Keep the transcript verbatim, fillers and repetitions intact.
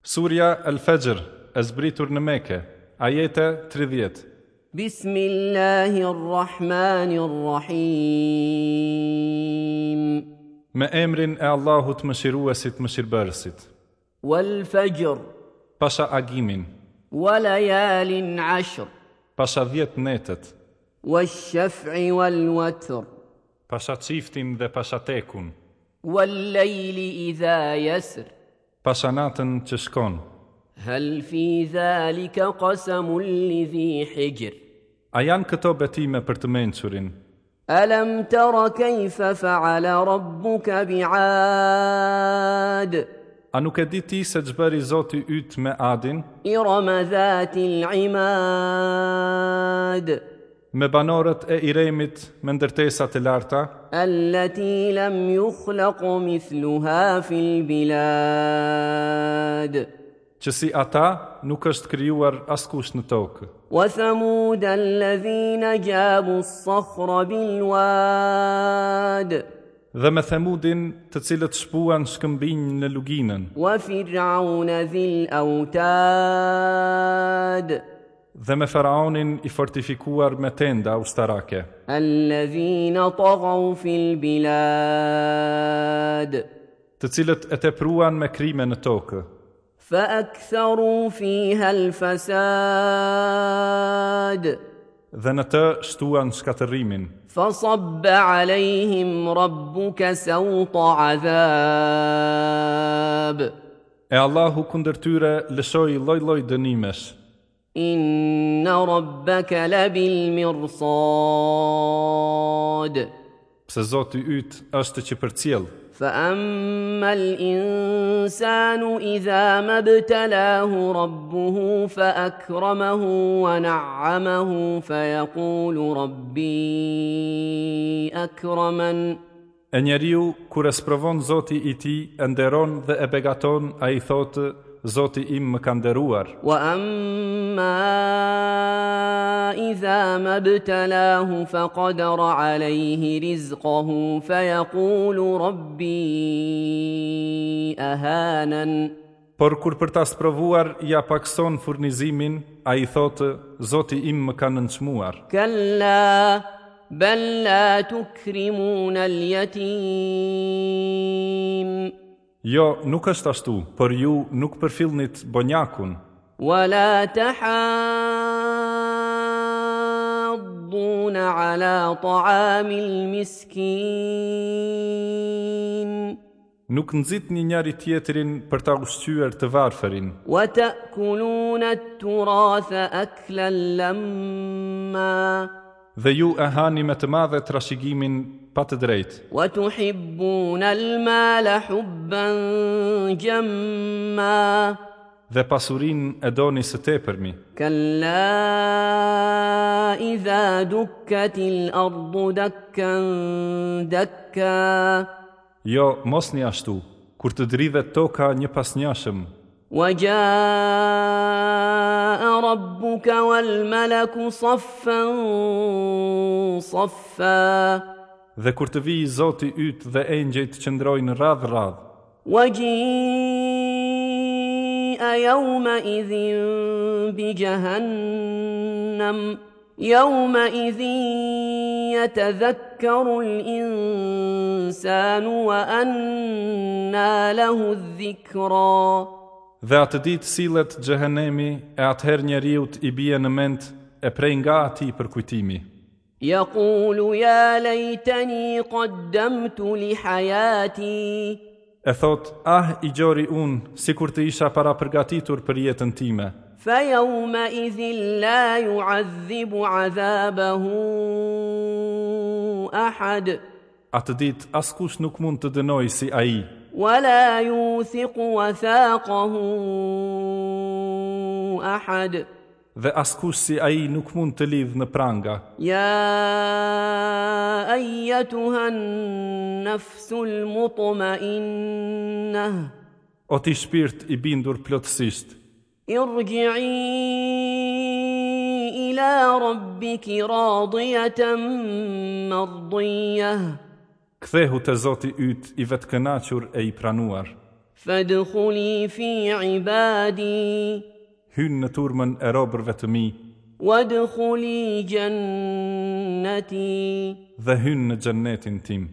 Surja El-Fexhr, e zbritur në Mekë, ajete tridhjetë. Bismillahirrahmanirrahim. Me emrin e Allahut Mëshiruesit, Mëshirbërësit. Wal Fajr. Pasha agimin. Wa layalin ashr. Pasha dhjetë netët. Wash-shaf'i wal watr. Pasha çiftin dhe pasha tekun. Wal layli idha yasr. Pasha natën që shkon. Hal fi dhalika qasamun li dhi hijr. A janë këto betime për të mençurin? Alam tara kayfa fa'ala rabbuka bi'ad? A nuk e di ti se ç'bëri Zoti yt me Adin? Irama dhatil imad. Me banorët e Iremit me ndërtesat e larta? Allati lam yukhlaq mithluha fil bilad. Që si ata nuk është krijuar askush në tokë. Wa thamud alladhina jabu as-sakhra bil wad. Dhe me Thamudin, të cilët shpuan shkëmbinj në luginën. Wa fir'auna dhil autad. Dhe me faraonin i fortifikuar me tenda ushtarake. Alladhina taghaw fil bilad. Të cilët e tepruan me krime në tokë. Fa aktharu fiha al-fasad. Dhe në të shtuan shkatërrimin. Fa sabba alayhim rabbuka sawta adhab. E Allahu kundër tyre lëshoi lloj-lloj dënimesh. Inna rabbaka labil mirsad. Pse Zoti yt është që përcjell. Fa amma al-insanu idha mabtalahu rabbuhu fa akramahu wa na'amahu fa yaqulu rabbi akraman. E njeriu kur e sprovon Zoti i tij, e nderon dhe e begaton, ai thotë: Zoti im më ka nderuar. Wa amma idha mabtalahu fa qadara alayhi rizqahu fa yaqulu rabbi ahanan. Por kur për ta sprovuar ja pakson furnizimin, ai thotë: Zoti im më ka nënçmuar. Kalla bal la tukrimuna al-yatim. Jo, nuk është ashtu, por ju nuk përfillnit bonjakun. Wa la tahadduna ala ta'amil miskin. Nuk nxitni njëri tjetrin për ta ushqyer të varfërin. Wa ta'kuluna at-turatha aklan lamma. Dhe ju e hani me të madhe trashëgimin pa të drejtë. Wa tuhibbuna al-mala hubban jamma. Dhe pasurinë e doni së tepërmi. Kalla idha dukkatil ardu dakkan dakka. Jo, mosni ashtu, kur të dridhet toka një pas njëshëm. Wa jaa rabbuka wal malaku saffan saffa. Dhe kur të vijë Zoti yt dhe engjëjt qëndrojnë radh radh. Wa jaa yawma idhin bi jahannam yawma idhin yatadhakkaru al-insanu wa anna lahu adh-dhikra. Dhe atë ditë sillet xhehenemi, e atëherë njeriut i bie në mend e prej nga atij përkujtimi. Yaqulu ya laytani qaddamtu li hayati. E thot: ah, i gjori unë, sikur të isha para përgatitur për jetën time. Fa yawma idhin la yu'adhibu 'adhabahu ahad. Atë ditë askush nuk mund të dënojë si ai. Wa la yuthiqu wathaqahu ahad. Dhe askush si ai nuk mund të lidh në pranga. Ya ayyatuha an-nafsul mutma'innah. O ti shpirt i bindur plotësisht, irji'i ila rabbiki radiyatan mardiyah. Kthehu te Zoti yt i vetëkënaqur e i pranuar. Fadkhuli fi ibadi. Hyn në turmën e robërve të mi. Wadkhuli jannati. Dhe hyn në xhennetin tim.